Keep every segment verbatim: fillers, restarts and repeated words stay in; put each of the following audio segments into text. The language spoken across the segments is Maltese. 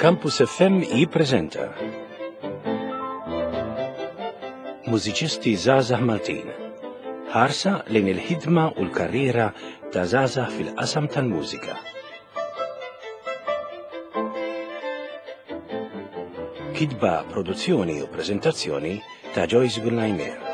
Campus F M jippreżenta Mużiċisti Żgħażagħ Maltin. Ħarsa lejn il-ħidma u l-karriera ta' żgħażagħ fil-qasam tal-mużika. Kitba, produzzjoni u preżentazzjoni ta' Joyce Gullajmer.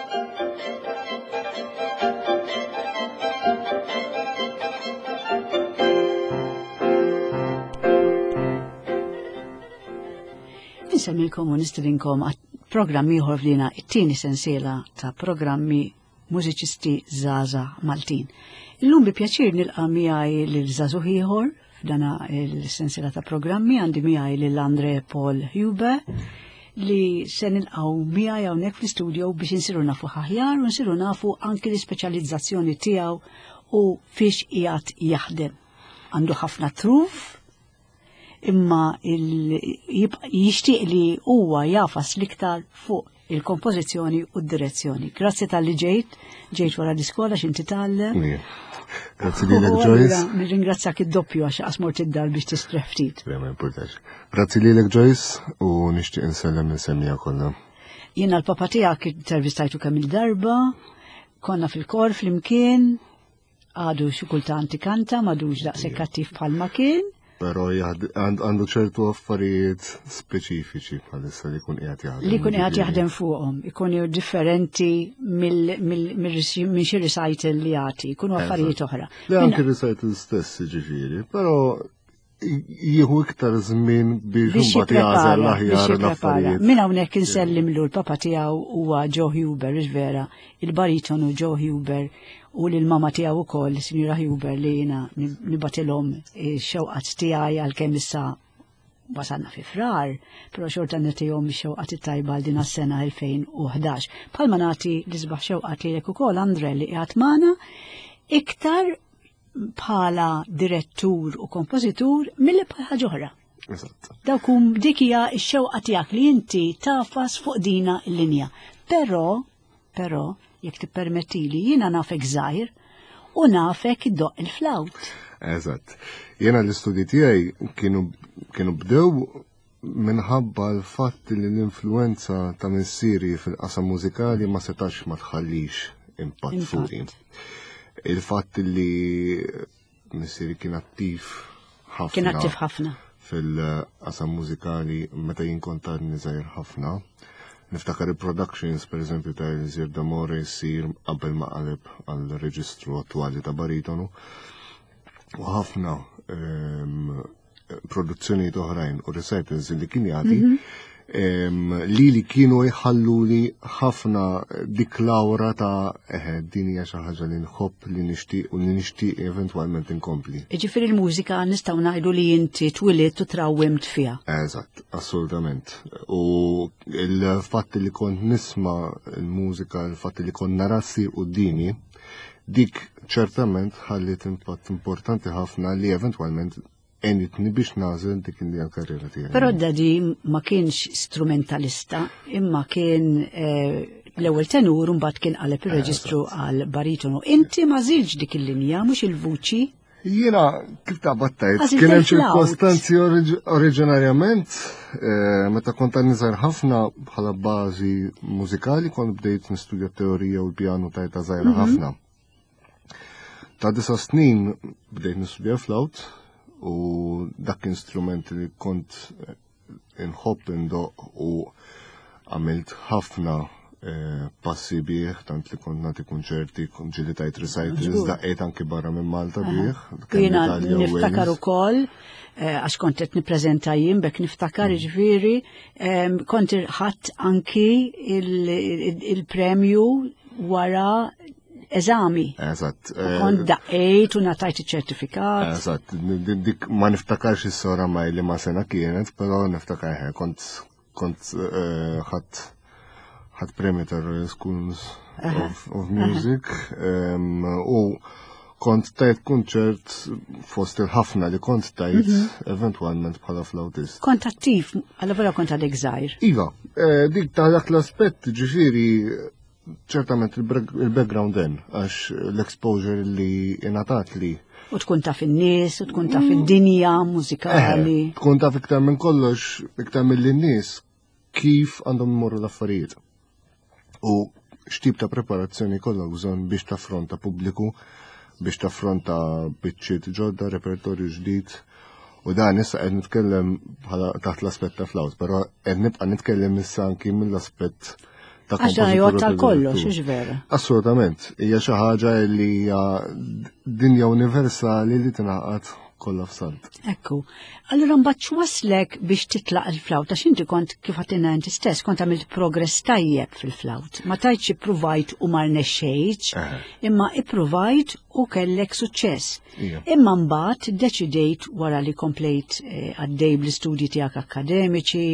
Insemmilkom u nistedinkom għat programm ieħor f'dina it-tieni sensiela ta' programmi Mużiċisti Żgħażagħ Maltin. Illum bi pjaċir nilqa' miegħi lil żagħżugħ ieħor f'dana il-sensiela ta' programmi. Għandi miegħi lil Andre Paul Huber li se nilqgħu miegħi hawnhekk fl-istudio biex insiru nafu aħjar u nsiru nafu anki l-ispeċjalizzazzjoni tiegħu u fiex qiegħed jaħdem. Għandu ħafna truf, imma jixtieq li huwa jafas l-iktar fuq il-kompożizzjoni u d-direzzjoni. Grazzi talli ġejt, ġejt wara l-iskola x'inti tgħallem. Grazzi lilek, Joyce. Nirringrazzjak id-doppju għax qas mort id-dar biex tistrieħ ftit. Le, ma importax. Grazzi lilek, Joyce, u nixtieq insellem l-semmija kollha. Jiena l-papa tiegħek intervistajtu kemm il-darba, konna fil-kor flimkien, għadu xi kultant ikanta, m'għadux daqshekk attiv bħalma kien. Però għandu ċertu affarijiet speċifiċi bħalissa li jkun qiegħed jaħdem. Li jkun qiegħed jaħdem fuqhom, ikunu differenti minn xi recital li jagħti, jkunu affarijiet oħra. Li anke recital stess ġifieri, però jieħu iktar żmien biex imbagħad jagħżel l-aħjar l-affarijiet. Minn hawnhekk insellimlu l-papa tiegħu huwa Joe Huber, vera, il-baritonu Joe Huber, u lil-mama tiegħu wkoll, Sinjura Huber, li jiena nibatilhom ix-xewqat tiegħi għalkemm issa wasalna fi Frar, però xorta nagħtihom ix-xewqat it-tajba għal din is-sena elfejn u ħdax. Bħalma nagħti l-isbaħ xewqat lilek ukoll, Andre, li qiegħed magħna iktar bħala direttur u kompożitur milli bħala ħaġa oħra. Eżatt. Dawk hum dik hija x-xewqa tiegħek li inti tafas fuq dina l-linja. Però, però, jekk tippermettili, jiena nafek żgħir u nafek iddoqq il-flawt. Eżatt. Jiena l-istudji tiegħi kienu kienu bdew minħabba l-fatt li l-influenza ta' missieri fil-qasam mużikali ma setax ma tħallix impatt fuqi. Il-fatt li missieri kien attiv ħafna. Kien attiv ħafna. Fil-qasam mużikali meta jien kont għadni żgħir ħafna. Niftakar il-productions, per eżempju, ta' Elisir D'Amore jsir qabel ma qaleb għal-reġistru attwali ta' baritonu. U ħafna ehm, produzzjonijiet oħrajn u recitals li kien jagħti mhm. ehm, li li kienu jħallu li ħafna dik l-awra ta' eħe, din hija xi ħaġa li nħobb, li nixtieq u li nixtieq eventwalment inkompli. Jiġifieri l-mużika nistgħu ngħidu li inti twilidt u trawwimt fiha. Eżatt, assolutament. U il-fatt li kont nisma' l-mużika, il-fatt li kont nara ssir quddiemi, dik ċertament ħallit impatt importanti ħafna li eventwalment għenitni biex nagħżel dik li l-karriera tiegħi. Però d-daddy ma kienx strumentalista, imma kien eh, l-ewwel tenur u mbagħad kien qaleb ir-reġistru għal baritonu. Inti ma żilġ dik il-linja, mhux il-vuċi. Jiena kif ta' battajt, Għażilt kien hemm il-flawt. ċirkostanzi oriġ- oriġinarjament, eh, meta kont għadni żgħir ħafna, bħala bażi mużikali kont bdejt nistudja teorija u l-pjanu ta' età żgħira ħafna. Ta' disa snin bdejt nistudja flawt u dak instrument li kont eh, inħobb indoq u għamilt ħafna eh, passi bih, tant li kont nagħti kunċerti, kont ġieli tajt recitals, Żgur. daqqejt anki barra minn Malta bih, kemm Jiena l-Italja u niftakar Wales. ukoll eh, għax kont qed nippreżenta jien bekk niftakar, jiġifieri em, kont ħadt anki il- il- il-premju wara eżami. Eżatt. U kont daqqejt u ngħatajt iċ-ċertifikat. Eżatt, dik dik ma niftakarx is-sora ma li ma sena kienet, però niftakar ħe, kont kont eh, ħadt ħadt premju ta' Royal Schools of, of Music em, u kont tajt kunċert fost il-ħafna li kont tajt eventwalment bħala flautist. Kont attiv, għalla vera kont għadek żgħir. Iva, eh, dik ta' dak l-aspett, ġifieri, ċertament il-background hemm, għax l-exposure li ingħatat li U tkun taf in-nies, u tkun taf id-dinja mużikali. Eh, tkun taf iktar minn kollox, iktar mill-nies kif għandhom imorru l-affarijiet. U x'tip ta' preparazzjoni kollha bżonn biex taffronta pubbliku, biex taffronta biċċiet ġodda, repertorju ġdid. U dan issa qed nitkellem bħala taħt l-aspett ta' flawt, però qed nibqa' nitkellem issa anki mill-aspett ta' Għax dan jgħod tal-kollox, kompożitur. hux vera. Assolutament, hija xi ħaġa li hija dinja universali li tingħaqad kollha f'salt. Ekku. Allura mbagħad x'waslek biex titlaq il-flawt għax inti kont kif għedtilna inti stess kont għamilt progress tajjeb fil-flawt. Ma tgħidx ippruvajt u ma rnexxejtx, imma ippruvajt u kellek suċċess. Ija. Imma mbagħad deċidejt wara li komplejt eh, għaddej bl-istudji tiegħek akademiċi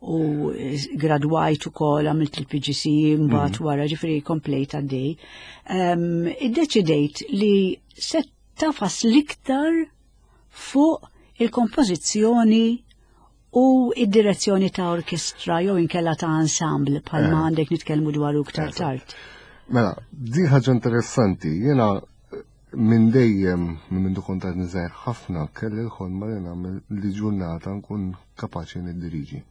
u eh, gradwajt ukoll għamilt il-P G C E mbagħad wara, ġifieri komplejt għaddej. Um, iddeċidejt li se tagħfas l-iktar fuq il-kompożizzjoni u id-direzzjoni ta' orkestra jew inkella ta' ensemble bħalma għandek nitkellmu dwar iktar tard. Mela, di ħaġa interessanti, jiena minn dejjem, minn mindu kont għadni żgħir ħafna, kelli l-ħolma li nagħmel li ġurnata nkun kapaċi niddiriġi.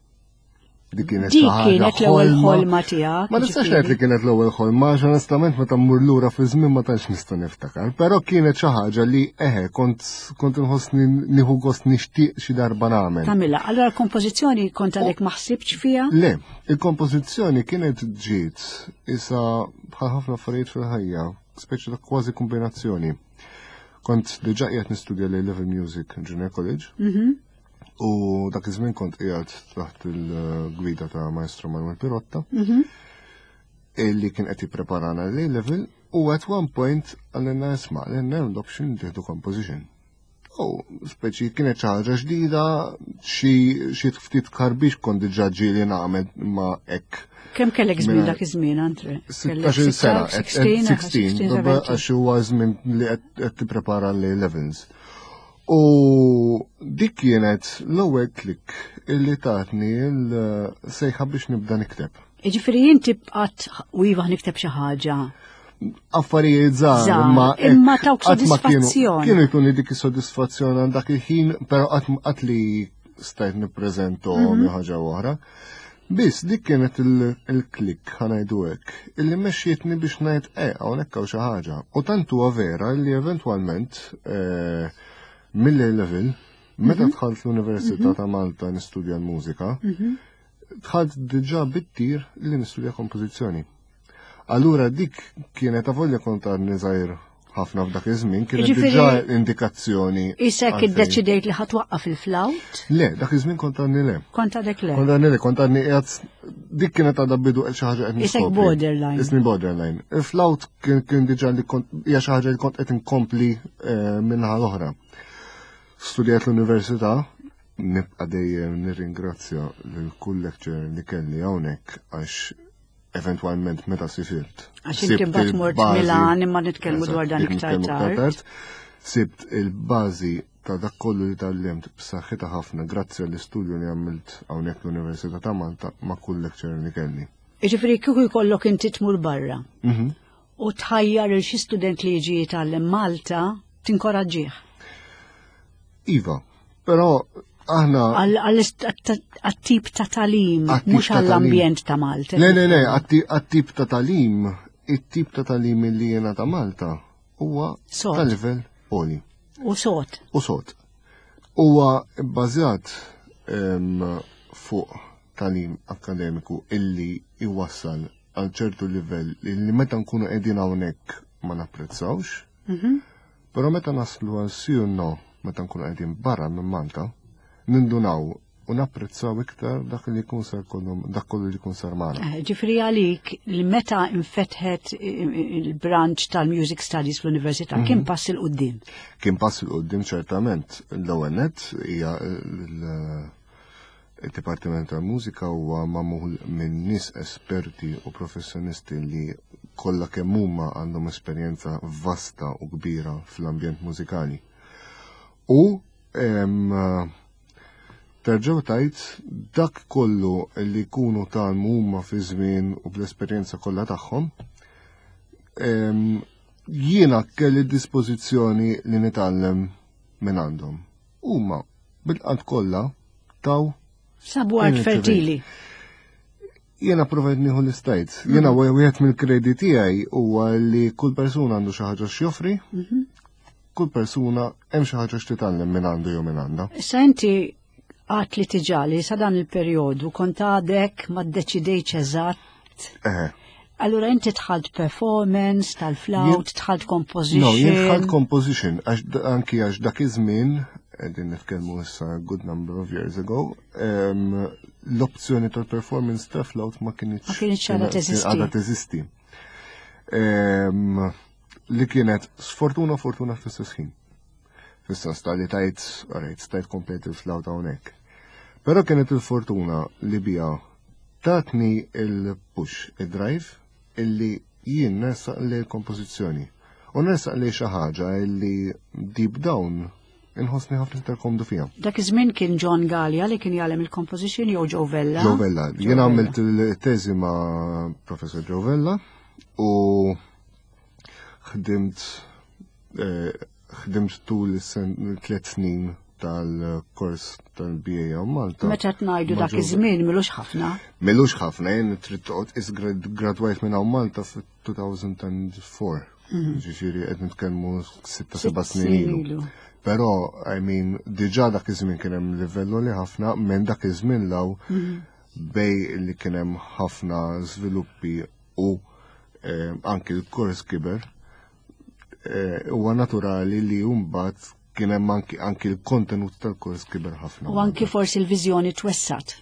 Dik kienet Dik xi ħaġa kienet l-ewwel ħolma tiegħek. Ma nistax ġifieri. ngħid li kienet l-ewwel ħolma, għax onestament meta mmur lura fi żmien ma tantx nista' niftakar, però kienet xi ħaġa li eħe kont kont inħossni nieħu gost nixtieq xi darba nagħmel. Tagħmilha. Allora l-kompożizzjoni kont għalek ma ħsibtx fiha? Le, il-kompożizzjoni kienet ġiet isa bħal ħafna affarijiet fil-ħajja, speċi ta' kważi kombinazzjoni. Kont diġà qiegħed nistudja l Level Music Junior College. U dak iż-żmien kont qiegħed taħt il-gwida ta' Maestro Manuel Pirotta, illi kien qed jippreparana l level u at one point qalilna, "Isma', għandna l-option tieħdu composition." U speċi kienet xi ħaġa ġdida, xi xi ftit karbix kont diġà ġieli nagħmel ma hekk. Kemm kellek żmien Mela, dak iż-żmien, Andre? sittax-il sena, sittax, sittax, sittax, għax huwa żmien li qed qed tipprepara l levels. U dik kienet l-ewwel klik illi tatni l-sejħa biex nibda nikteb. Ġifieri inti bqat u iva nikteb xi ħaġa. Affarijiet żgħar, Żgħar, imma imma hekk tawk qatt ma kienu- sodisfazzjon. Kienu jtuni dik is-sodisfazzjon għal dak il-ħin, però qatt qatt li stajt nippreżentom jew ħaġa oħra. Biss dik kienet il- il-klik, ħa ngħidu hekk, illi mexxietni biex ngħid eh hawnhekk hawn xi ħaġa. U tant huwa vera li eventwalment eh, mill-level meta dħalt l-Università ta' Malta nistudja l-mużika, dħalt diġà bit-tir li nistudja kompożizzjoni. Allura dik kienet, avolja kont għadni żgħir ħafna f'dak iż-żmien, kienet Jiġifieri- diġà indikazzjoni Isek għalfejn. iddeċidejt li ħa twaqqaf il-flawt? Le, dak iż-żmien kont għadni le. Kont għadek le. Kont għadni le, kont għadni qiegħed dik kienet għadha bidu xi ħaġa qed Isek niskopri. borderline. Isni borderline. Il-flawt kien kien diġà li kont hija xi ħaġa li kont qed inkompli eh, minnaħa l-oħra. Studjat l-università, nibqa' dejjem nirringrazzja lil kull lecturer li kelli hawnhekk għax eventwalment meta sifirt. Għax inti Sibt mbagħad mort il-bażi- Milan, imma nitkellmu Eżatt, dwar dan dik iktar nitkellmu tard. Sibt il-bażi ta' dak kollu li tgħallimt b'saħħitha ħafna grazzi għall-istudju li għamilt hawnhekk l-Università ta' Malta ma' kull lecturer li kelli. Ġifieri kieku jkollok inti tmur barra Mhm. u tħajjar il xi student li jiġi jitgħallem Malta, tinkoraġġih. Iva, però aħna Għat-tip ta' tagħlim, Għat-tip mhux ta' għall-ambjent ta' Malta. Le, le, le, għat-tip ta' tagħlim, it-tip ta' tagħlim li jiena ta' Malta huwa Sod. ta' livell għoli. U sod. U sod. Huwa bbażat em, fuq tagħlim akademiku illi iwassal għal ċertu livell illi meta nkunu qegħdin hawnhekk ma napprezzawx, Mhm. però meta naslu għal sì u no, meta nkunu qegħdin barra minn Malta, nindunaw u napprezzaw iktar dak li jkun sar kollu dak kollu li jkun sar magħna. Eh, Ġifieri għalik li meta infetħet il-branch tal-Music Studies fl-Università Mhm. kien pass 'il quddiem. Kien pass 'il quddiem ċertament. L-ewwel nett hija l- il-Dipartiment tal-Mużika huwa magħmul minn nies esperti u professjonisti li kollha kemm huma għandhom esperjenza vasta u kbira fl-ambjent mużikali. U em, terġgħu tajt dak kollu li jkunu tgħallmu huma fi żmien u bl-esperjenza kollha tagħhom em, Jiena kelli dispożizzjoni li nitgħallem minn għandhom. Huma bil-qalb kollha taw Sabu art fertili. Jiena provajt nieħu l-istajt. Jiena mhm. wieħed mill-kredi tiegħi huwa li kull persuna għandu xi ħaġa x'joffri, mhm. kull persuna hemm xi ħaġa x'titgħallem minn għandu jew minn għandha. Issa inti għat li tiġali sa dan il-perjodu kont għadek ma ddeċidejtx eżatt. Allura inti dħalt performance tal-flawt, dħalt composition. No, jien dħalt composition, anki għax dak iż-żmien, qegħdin nitkellmu issa good number of years ago, l-opzjoni tal-performance tal-flawt ma kinitx ma kinitx għadha teżisti. Għadha teżisti. Li kienet sfortuna fortuna fl-istess ħin. Fis-sens li tajt, alright, stajt komplet il-flawt hawnhekk. Però kienet il-fortuna li bija tatni il-push, il-drive, illi jien nersaq li l-kompożizzjoni. U nersaq li xi ħaġa illi deep down inħossni ħafna iktar komdu fiha. Dak iż-żmien kien John Gallia li kien jgħallem il-composition jew Joe Vella? Joe Vella. Jien għamilt il-teżi ma' Professor Joe Vella u ħdimt eh, ħdimt tul tliet snin tal-kors tal-B A hawn Malta. Meta tgħidu dak iż-żmien, milux ħafna. Milux ħafna, jien trid toqgħod is gradwajt minn hawn Malta fit-elfejn u erbgħa. Mhm. Ġifieri qed nitkellmu sitta seba' snin ilu. Però, I mean, diġà dak iż-żmien kien hemm livellu li ħafna minn dak iż-żmien law mhm. bej li kien hemm ħafna żviluppi u eh, anki l-kors kiber. Eh, huwa naturali li mbagħad kien hemm anki, anki l-kontenut tal-kors kiber ħafna. U anki forsi l-viżjoni twessat.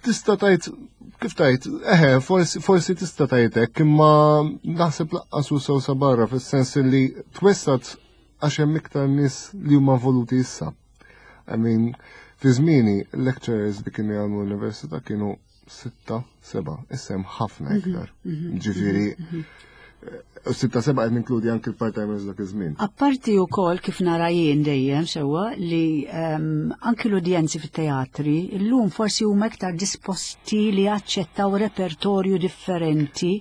Tista' tajt, kif tajt, eħe, forsi, forsi tista' tajt hekk, imma naħseb lanqas hu sew sa barra fis-sens li twessat għax hemm iktar nies li huma voluti issa. I mean, fi żmieni lecturers li kienu jagħmlu l-università kienu sitta, seba, issa hemm ħafna mhm, iktar. Mhm, Ġifieri, mhm, u sitta seba qed ninkludi anki l-part-timers dak iż-żmien. Apparti wkoll kif nara jien dejjem sewwa li um, anki l-udjenzi fit-teatri illum forsi huma iktar disposti li jaċċettaw repertorju differenti.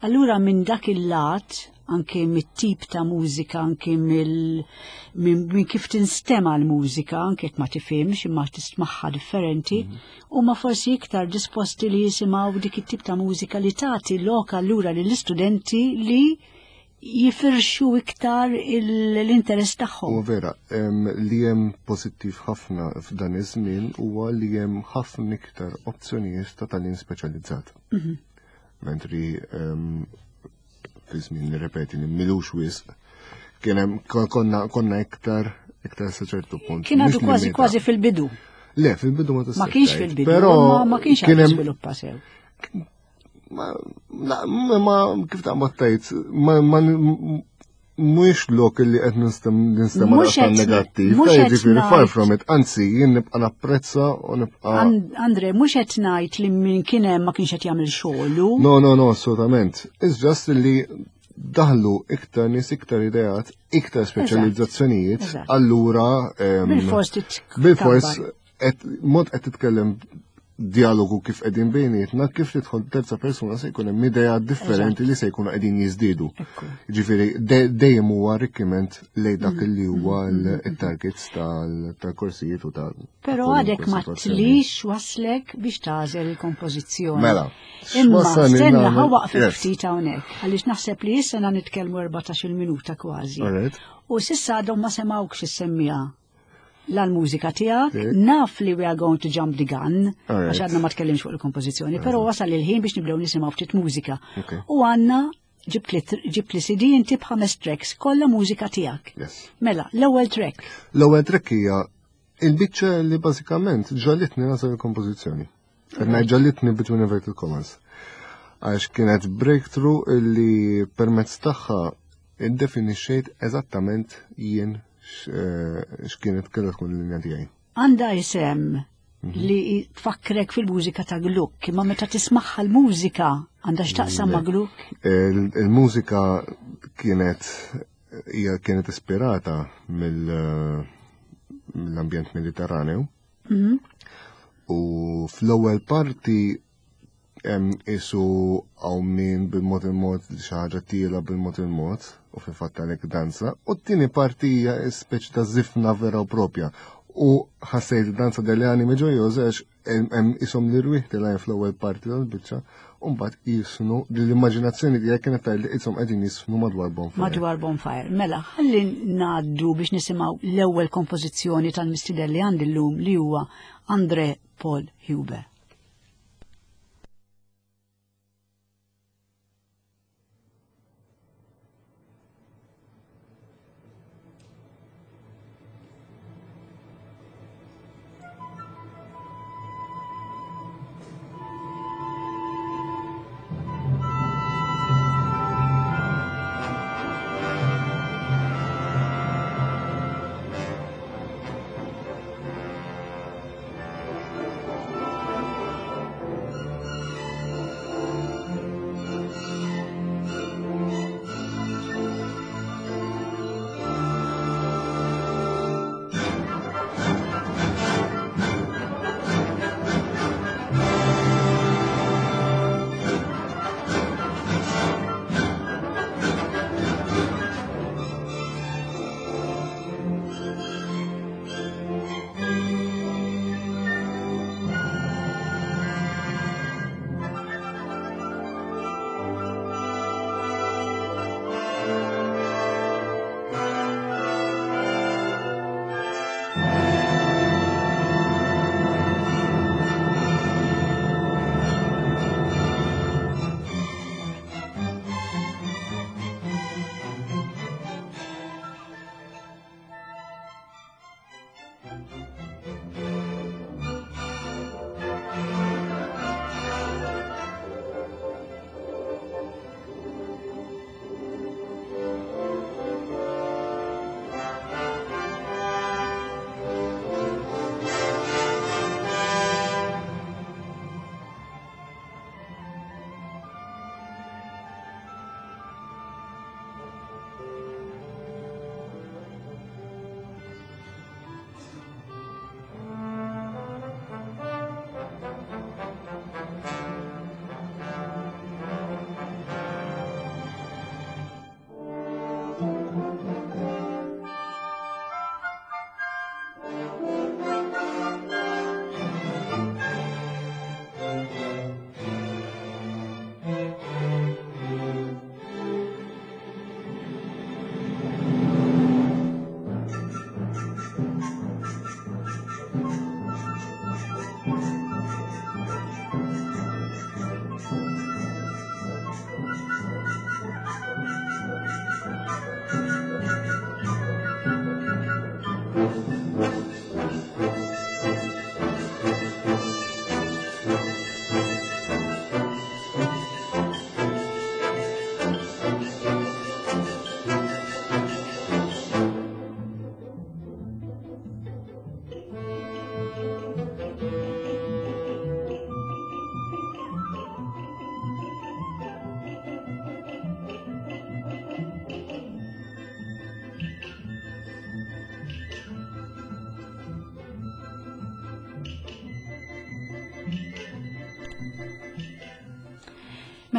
Allura minn dak il-lat, anke mit-tip ta' mużika, anke mill minn min kif tinstema l-mużika, anke jekk ma tifhimx imma tismagħha differenti, mm -hmm. huma forsi iktar disposti li jisimgħu dik it-tip ta' mużika li tagħti lok allura lill-istudenti li jifirxu iktar l-interess tagħhom. U vera, li hemm pożittiv ħafna f'dan iż-żmien huwa li hemm ħafna iktar opzjonijiet ta' tagħlim speċjalizzat. Mm -hmm. Mentri fi żmien, nirrepeti, li milux wisq, kien hemm konna konna iktar iktar sa ċertu punt. Kien għadu kważi kważi fil-bidu. Le, fil-bidu ma Ma kienx fil-bidu, però ma kienx għadu żviluppa sew. Ma, ma, kif ta' tajt, ma, ma, mhuwiex lok li qed ninstema' negattiv, ġifieri far from it, anzi jien nibqa' napprezza u nibqa' Andre, mhux qed ngħid li min kien hemm ma kienx qed jagħmel xogħlu. No, no, no, assolutament. It's just li daħlu iktar nies, iktar ideat, iktar speċjalizzazzjonijiet, allura bil-fors bil-fors mod qed titkellem dialogu kif qegħdin bejnietna, kif tidħol terza persuna se jkun hemm idea differenti li se jkunu qegħdin jiżdiedu. Ġifieri dejjem huwa arricchiment lej dak mm. li huwa mm, mm, il-targets tal-korsijiet u tal. Però għadek ma tlix waslek biex tagħżel il-kompożizzjoni. Mela. Imma stenna, ħa waqfek ftit hawnhekk, għaliex naħseb li issa nitkellmu erbatax-il minuta kważi. U s'issa għadhom ma semgħukx issemmija l-mużika tiegħek, naf li we are going to jump the gun, għax għadna ma tkellimx fuq il-kompożizzjoni, però wasal il-ħin biex nibdew nisimgħu ftit mużika. U għandna ġibt li C D inti b'ħames tracks, kollha mużika tiegħek. Mela, l-ewwel track. L-ewwel track hija il-biċċa li bażikament ġagħlitni nagħżel il-kompożizzjoni. Ġagħlitni between inverted commas. Għax kienet breakthrough illi permezz tagħha iddefinixxejt eżattament jien eh, x'kienet kellha tkun l-linja tiegħi. Għandha isem mhm. li tfakkrek fil-mużika ta' Gluck, imma meta tismagħha l-mużika għandha x'taqsam ma' Gluck? Il-mużika kienet hija kienet ispirata mill-ambjent Mediterraneu. Mhm. U fl-ewwel parti Isu għaw min bil-mod il-mod xi ħaġa tiela bil-mod il-mod u fil-fatt għalhekk danza. U t-tieni parti hija speċi ta' żifna vera u propja. U ħassejt danza delle anime gioiose għax hemm ishom l-irwieħ tilgħin fl-ewwel parti tal-biċċa u mbagħad jisnu l-immaġinazzjoni tiegħek kienet tgħid li qishom qegħdin jisfnu madwar bonfire. Madwar bonfire. Mela, ħalli ngħaddu biex nisimgħu l-ewwel kompożizzjoni tal-mistieden li għandi llum li huwa Andre Paul Huber.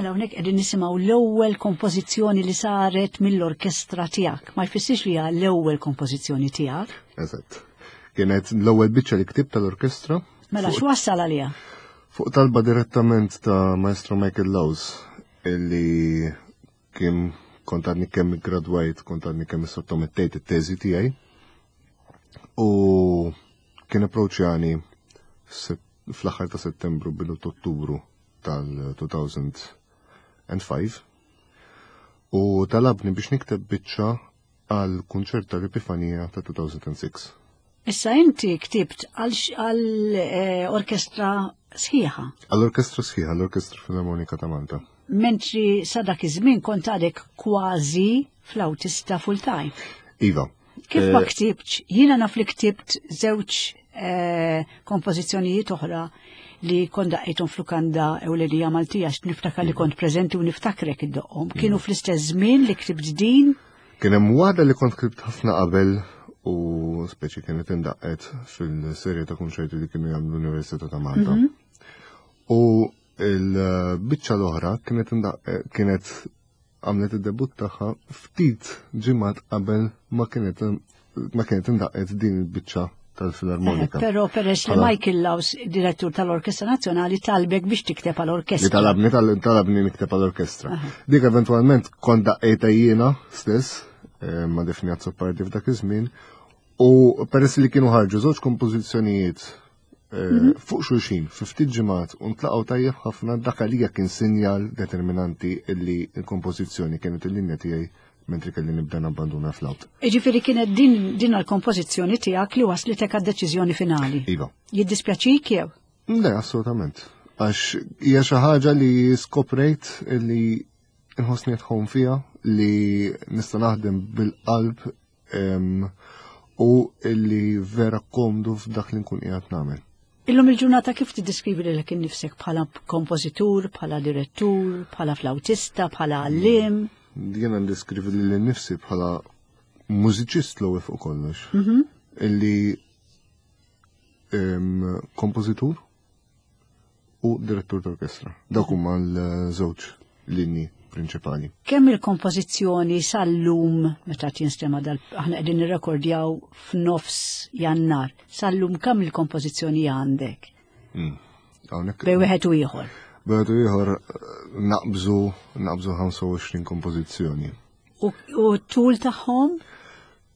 Mela hawnhekk qegħdin nisimgħu l-ewwel kompożizzjoni li saret mill-orkestra tiegħek. Ma jfissirx li hija l-ewwel kompożizzjoni tiegħek. Eżatt. Kienet l-ewwel biċċa li ktibt tal-orkestra. Mela x'wassal għaliha? Fuq talba direttament ta' Maestro Michael Laws illi kien kont għadni kemm gradwajt, kont għadni kemm sottomettejt it-teżi tiegħi. U kien approċċjani fl-aħħar ta' Settembru bidu Ottubru tal-two thousand and five u talabni biex nikteb biċċa għal kunċert tal-Epifanija ta' two thousand and six. Issa inti ktibt għal x-, għal, eh, orkestra sħiħa. Għal orkestra sħiħa, għal Orkestra Filarmonika ta' Malta. Mentri sa dak iż-żmien kont għadek kważi flautista full time. Iva. Kif ma Eh, ktibtx? Jiena naf li ktibt żewġ, eh, kompożizzjonijiet oħra li kont daqqejthom f'lukanda ewlenija Maltija, għax niftakar li kont preżenti u niftakrek iddoqqhom. Kienu fl-istess żmien li ktibt din? Kien hemm waħda li kont ktibt ħafna qabel u speċi kienet indaqqet fil-serje ta' kunċerti li kienu jagħmlu l-Università ta' Malta. Mhm. U Il-biċċa l-oħra kienet kienet għamlet id-debut tagħha ftit ġimgħat qabel ma kienet ma kienet indaqqet din il-biċċa tal-Filarmonika. Eh, però peress li Michael Laus, direttur tal-Orkestra Nazzjonali, talbek biex tikteb għall-orkestra. Talabni talabni nikteb għall-orkestra. Dik eventwalment kont daqqejta jiena stess, eh, ma' Daphne Azzopardi f'dak iż-żmien, u peress li kienu ħarġu żewġ kompożizzjonijiet eh, mhm. fuq xulxin fi ftit ġimgħat u ntlaqgħu tajjeb ħafna, dak għalija kien sinjal determinanti illi l-kompożizzjoni kienet il-linja tiegħi mentri kelli nibda nabbanduna flawt. Iġifieri kienet din din l-kompożizzjoni tiegħek li waslitek għad-deċiżjoni finali. Iva. Jiddispjaċik jew? Le, assolutament. Għax hija xi ħaġa li skoprejt li nħossni tħom fiha, li nista' naħdem bil-qalb u li vera komdu f'dak li nkun qiegħed nagħmel. Illum il-ġurnata kif tiddiskrivi lilek innifsek bħala kompożitur, bħala direttur, bħala flautista, bħala għallim? Jiena ndiskrivi lili nnifsi bħala mużiċist l-ewwel fuq kollox. Mhm. Illi kompożitur u direttur tal-orkestra. Dawk huma l-żewġ linji prinċipali. Kemm il-kompożizzjoni sal-lum, meta tinstema dal, aħna qegħdin nirrekordjaw f'nofs Jannar, sal-lum kemm il-kompożizzjoni għandek? Mm. Hawnhekk Bej wieħed u ieħor. Bej wieħed u ieħor naqbżu naqbżu ħamsa u għoxrin kompożizzjoni. U, u tul tagħhom?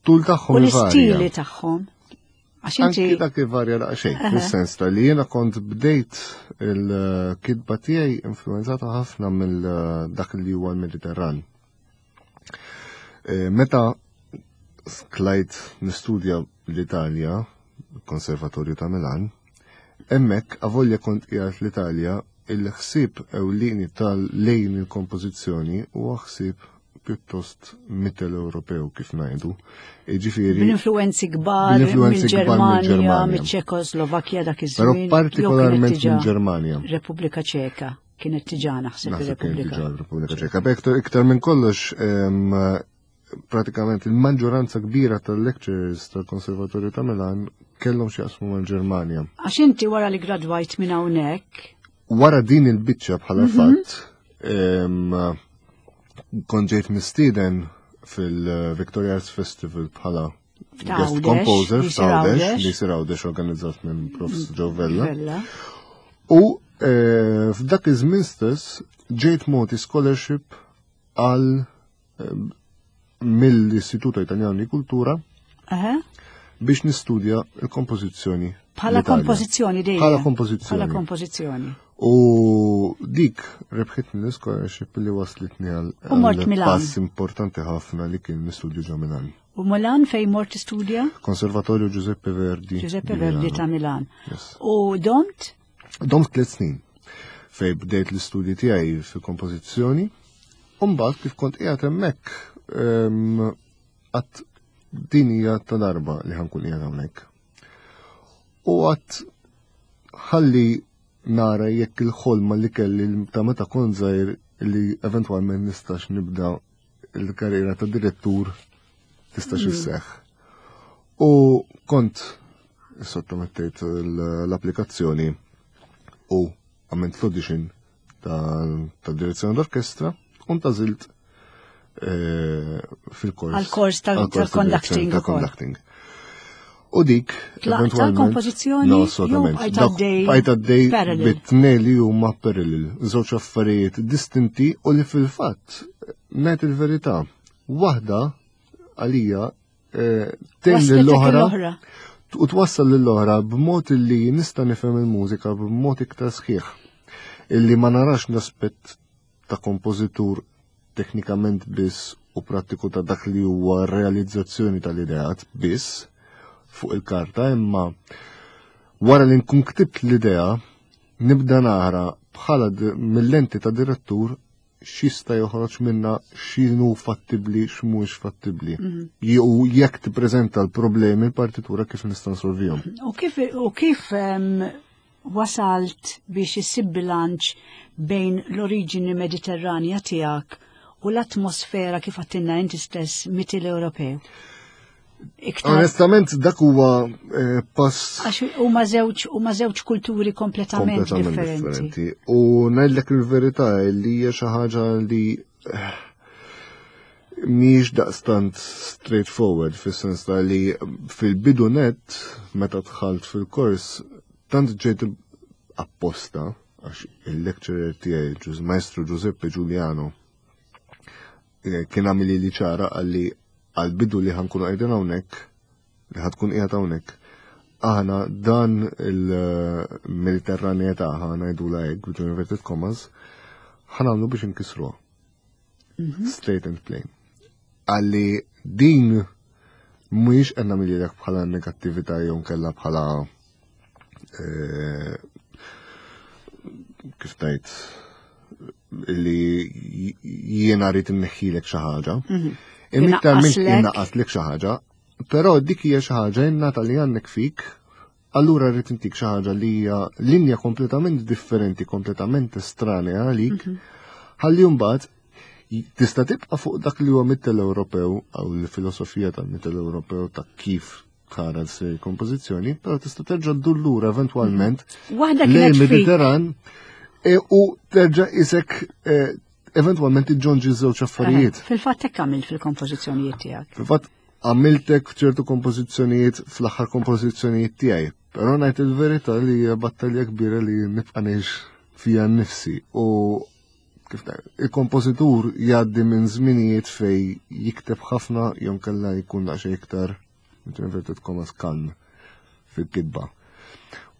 Tul tagħhom U l-istili tagħhom? Għax inti Anki dak ivarja daqsxejn, fis-sens ta' li jiena kont bdejt il-kitba tiegħi influenzata ħafna mill dak li huwa l-Mediterran. Eh, meta tlajt nistudja l-Italja, Konservatorju ta' Milan, hemmhekk avolja kont qiegħed l-Italja, il-ħsieb ewlieni tal-lejn il-kompożizzjoni huwa ħsieb pjuttost Mittel-Ewropew kif ngħidu. Jiġifieri Bl-influenzi kbar Bl-influenzi kbar mill-Ġermanja, mill-Ġermanja. mill-Ċekoslovakkja dak Però iż-żmien, jew kienet partikolarment diġà mill-Ġermanja. Repubblika Ċeka kienet diġà naħseb Naħseb kienet ir-Repubblika. diġà Repubblika Ċeka. Beh, iktar, iktar minn kollox, em, pratikament il-maġġoranza kbira tal-lecturers tal-Konservatorju ta' Milan kellhom xi jaqsmu mal-Ġermanja. Għax inti wara li gradwajt minn hawnhekk, Wara din il-biċċa bħala Mhm. fatt, em, kont ġejt mistieden fil-Victoria Arts Festival bħala guest F'Għawdex, composer li jsir f'Għawdex, Għawdex. li jsir Għawdex organizzat minn Professor Joe Vella. Vella. U, eh, f'dak iż-żmien stess ġejt mogħti scholarship għal, eh, mill-Istituto Italiano di Cultura Aha. biex nistudja l-kompożizzjoni Bħala l-Italja. kompożizzjoni dejjem. Bħala kompożizzjoni. Bħala kompożizzjoni. U dik rebħitni l-scholarship li waslitni għal U mort għal Milan. pass importanti ħafna li kien nistudju ġo Milan. U Milan fej mort tistudja? Konservatorju Giuseppe Verdi. Giuseppe di Verdi Milano. ta' Milan. Yes. U domt? Domt tliet snin fej bdejt l-istudji tiegħi fil-kompożizzjoni. U mbagħad kif kont qiegħed hemmhekk, ehm, għat din hija ta' darba li ħankun qiegħed hawnhekk. U għat ħalli nara jekk il-ħolma li kelli ta' meta kont żgħir li eventwalment nistax nibda il-karriera ta' direttur tistax Mm. isseħħ. U kont sottomettejt l-applikazzjoni u għamilt l-audition ta' ta' direzzjoni d'orkestra u ntażilt, eh, fil-kors. Għal-kors tal- għal-kors ta' tal-conducting direzzjoni ta' ukoll. conducting. U dik, Tlaqt eventualment, tal-kompożizzjoni No, jew assolutament. bqajt Dak għaddej bqajt għaddej parallel? bit-tnejn li huma parallel, żewġ affarijiet distinti u li fil-fatt, ngħid il-verità, waħda għalija, eh, tgħin Wasletek lill-oħra l-oħra. u twassal lill-oħra b'mod li nista' nifhem il-mużika b'mod iktar sħiħ. Illi ma narax l-aspett ta' kompożitur teknikament biss u prattiku ta' dak li huwa realizzazzjoni tal-ideat biss fuq il-karta, imma wara li nkun ktibt l-idea nibda nara bħala d-, mill-lenti ta' direttur x'jista' joħroġ minna, x'inhu fattibbli, x'mhuwiex fattibbli. Mhm. U jekk tippreżenta l-problemi l-partitura kif nista' nsolvihom. U kif, u kif, em, wasalt biex issib bilanċ bejn l-oriġini mediterranja tiegħek u l-atmosfera kif għattinna inti stess Mittel Ewropew? Iktar Onestament, dak huwa eh, pass għax huma żewġ huma żewġ kulturi kompletament kompletament differenti. differenti. U ngħidlek il-verità li hija xi ħaġa li eh, mhijiex daqstant straightforward, fis-sens ta' li fil-bidu net meta dħalt fil-kors tant ġejt apposta, għax il-lecturer tiegħi Gius- Maestro Giuseppe Giuliano eh, kien għamilli li ċara għalli għal-bidu li ħa nkunu qegħdin hawnhekk, li ħa tkun qiegħed hawnhekk, aħna dan il-Mediterranjetà, ħa ngħidulha hekk, between inverted commas, ħa nagħmlu biex inkisruha. Straight and plain. Għalli din mhuwiex qed nagħmilek bħala negattività jew nkella bħala eh, kif tajt li jiena rrid inneħħilek xi ħaġa. Imma iktar minn Inaqqaslek. innaqqaslek xi ħaġa, però dik hija xi ħaġa innata li għandek fik, allura rrid intik xi ħaġa li hija linja kompletament differenti, kompletament estranea għalik, ħalli mbagħad tista' tibqa' fuq dak li huwa Mittel-Ewropew aw l-filosofija tal-Mittel-Ewropew ta' kif tara s kompożizzjoni, però tista' terġa' ddur lura eventwalment Waħda lejn kienet fik. Mediterran e, u terġa' isek e, eventwalment iġġonġi żewġ affarijiet. Fil-fatt hekk għamilt fil-kompożizzjonijiet tiegħek. Fil-fatt għamiltek f'ċertu kompożizzjonijiet fl-aħħar kompożizzjonijiet tiegħi, però ngħid il-verità li hija battalja kbira li nibqa' ngħix fija nnifsi u kif ta' il-kompożitur jgħaddi minn żminijiet fej jikteb ħafna jew kella jkun daqsxejn iktar inverted commas kalm fil-kitba.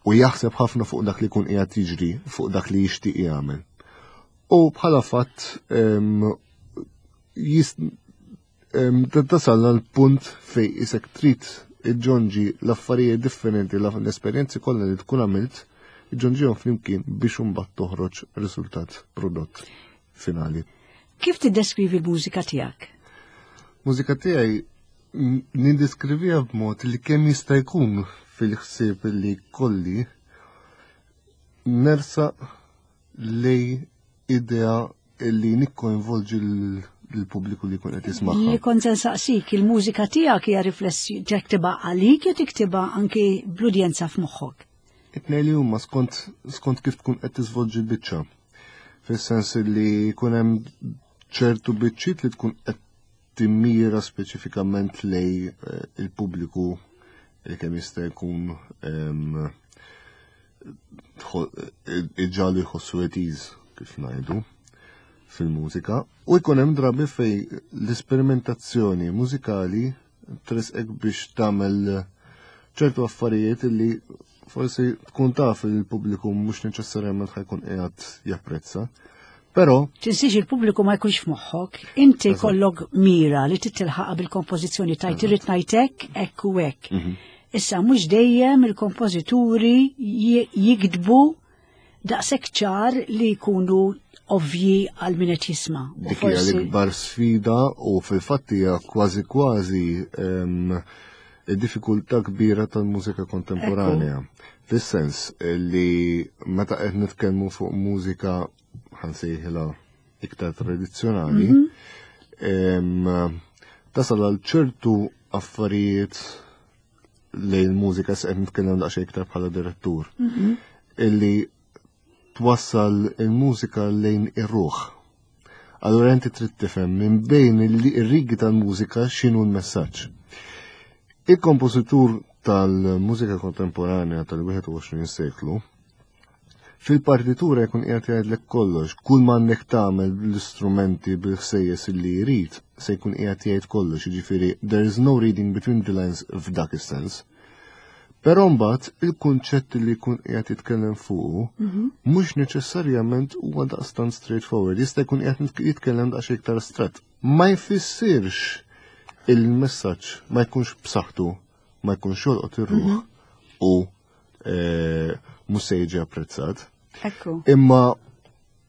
U jaħseb ħafna fuq dak li jkun qiegħed jiġri, fuq dak li jixtieq jagħmel. U bħala fatt em, jis- em, tasal għal punt fej isek trid iġġonġi l-affarijiet differenti, l-esperjenzi kollha li tkun għamilt, iġġonġihom flimkien biex imbagħad toħroġ riżultat prodott finali. Kif tiddeskrivi l-mużika tiegħek? Mużika tiegħi n- nindeskriviha b'mod li kemm jista' jkun fil-ħsieb li kolli nersaq lej idea li nikkoinvolġi l- l-pubbliku li jkun qed jismagħha. Li kont se nsaqsik, il-mużika tiegħek hija riflessi tiktibha għalik jew tiktibha anki bl-udjenza f'moħħok. It-tnejn li huma skont skont kif tkun qed tiżvolġi l-biċċa. Fis-sens li jkun hemm ċertu biċċiet li tkun qed timmira speċifikament lej eh, il-pubbliku li kemm jista' jkun em, tħo- iġġagħlu jħossu at ease, kif ngħidu, fil-mużika. U jkun hemm drabi fej l-esperimentazzjoni mużikali tresqek biex tagħmel ċertu affarijiet li forsi tkun taf li l-pubbliku mhux neċessarjament ħa jkun qiegħed japprezza. Però Tinsiex il-pubbliku ma jkunx f'moħħok, inti Eżatt. kollok mira li titilħaqha bil-kompożizzjoni tajt irrid ngħidlek hekk u hekk. Mhm. Issa mhux dejjem il-kompożituri ji- jiktbu daqshekk ċar li jkunu ovvji għal min qed jisma'. U dik hija l-ikbar sfida u fil-fatt hija kważi kważi em, id-diffikultà kbira tal-mużika kontemporanea. Fis-sens li meta qed nitkellmu fuq mużika ħa nsejħilha iktar tradizzjonali, em, tasal għal ċertu affarijiet lejn il-mużika se qed nitkellem daqsxejn iktar bħala direttur. Illi twassal il-mużika lejn ir-ruħ. Allura inti trid tifhem minn bejn ir-rigi tal-mużika x'inhu l-messaġġ. Il-kompożitur tal-mużika kontemporanja tal-wieħed u għoxrin seklu fil-partitura jkun qiegħed jgħidlek kollox, kull ma għandek tagħmel bl-istrumenti bil-ħsejjes li jrid se jkun qiegħed jgħid kollox, jiġifieri there is no reading between the lines f'dak is-sens. Però mbagħad il-kunċett li jkun qiegħed jitkellem fuqu mhux neċessarjament huwa daqstant straightforward, jista' jkun qiegħed jitkellem daqsxejn iktar astratt. Ma jfissirx il-messaġġ ma jkunx b'saħħtu, ma jkunx jolqot ir-ruħ u eh, mhux se jiġi apprezzat. Ekku. Imma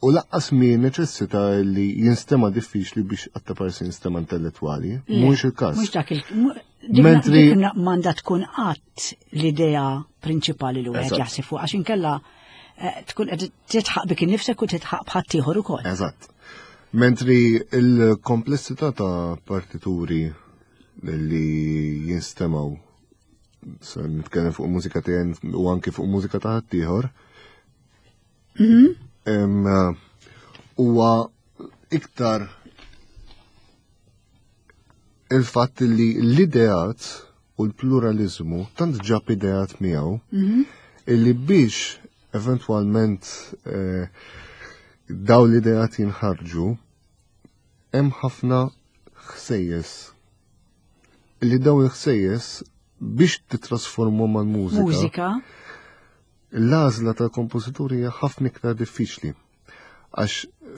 u lanqas mi neċessita li jinstema diffiċli biex għatta parsi jinstema intellettwali, mhux il-każ. Mhux dak il mu- dik Mentri- dik m'għandha tkun qatt l-idea prinċipali li wieħed Eżatt. jaħseb fuq għax inkella eh, tkun qed titħaq bik innifsek u titħaq b'ħadd ieħor ukoll. Eżatt. Mentri il-komplessità ta' partituri li jinstemaw, se nitkellem fuq mużika tiegħi u anki fuq mużika ta' ħaddieħor, mhm. huwa iktar il-fatt li l-ideat u l-pluralizmu tant ġab ideat miegħu mhm. illi biex eventwalment eh, daw l-ideat jinħarġu hemm ħafna ħsejjes li daw il-ħsejjes biex titrasformu mal-mużika. Mużika. L-għażla tal-kompożituri hija ħafna iktar diffiċli. Għax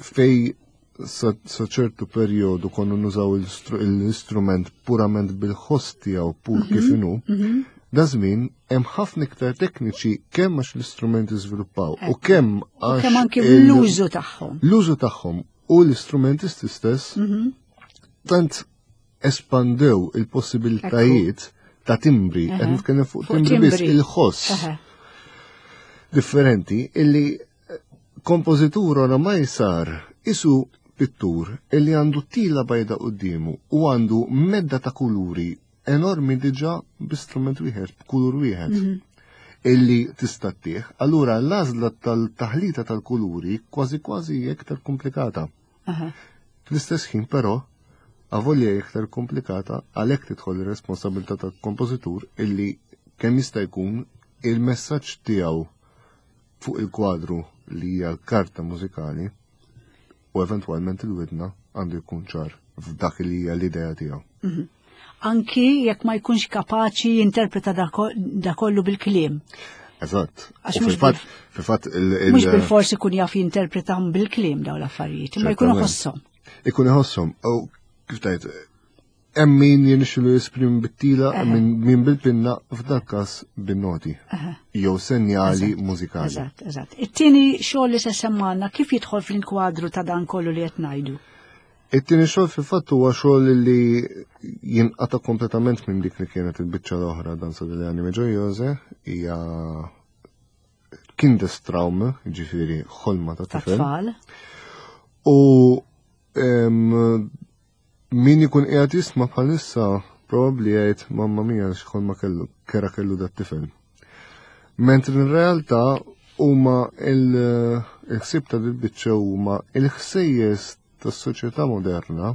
fej sa ċertu perjodu konna nużaw l-istrument purament bil-ħoss tiegħu pur mhm, kif inhu, mhm. da żmien hemm ħafna iktar tekniċi kemm għax l-istrumenti żviluppaw u kemm għax kemm anke l-użu tagħhom. L-użu tagħhom u l-istrumentisti stess mhm. tant espandew il-possibilitajiet ta' timbri, qed nitkellem fuq timbri biss il-ħoss differenti illi kompożitur oramai sar isu pittur illi għandu tila bajda quddiemu u għandu medda ta' kuluri enormi diġà b'istrument wieħed, b'kulur wieħed. Mhm. Illi tista' ttih. Allura l-għażla tal-taħlita tal-kuluri kważi kważi iktar komplikata. Fl-istess ħin però, avolja iktar komplikata, għalhekk tidħol ir-responsabilità tal-kompożitur illi kemm jista' jkun il-messaġġ tiegħu fuq il-kwadru li hija l-karta mużikali u eventwalment il-widna għandu jkun ċar f'dak li hija l-idea tiegħu. Mhm. Anki jekk ma jkunx kapaċi jinterpreta da kollu bil-kliem. Eżatt. Fil-fatt, fil-fatt il- Mhux bil-forsi ikun jaf jinterpretahom bil-kliem dawn l-affarijiet, imma jkun iħosshom. Ikun iħosshom. U kif tajt, hemm min jirnexxilu jesprimi bit-tila, min bil-pinna, f'dak każ bin-noti. Jew senjali mużikali. Eżatt, eżatt. It-tieni xogħol li se semmanna kif jidħol fl-inkwadru ta' dan kollu li qed ngħidu? It-tieni xogħol fil-fatt huwa xogħol li jinqata' kompletament minn dik li kienet il-biċċa l-oħra Danza delle Anime Gioiose, hija Kindestraum, ġifieri ħolma ta' tifel. U min ikun qiegħed jisma' bħalissa probabbli jgħid mamma mia x'ħolma kellu, kera kellu dat tifel. Mentri in realtà huma il-ħsieb ta' dil-biċċa huma il-ħsejjes tas-soċjetà moderna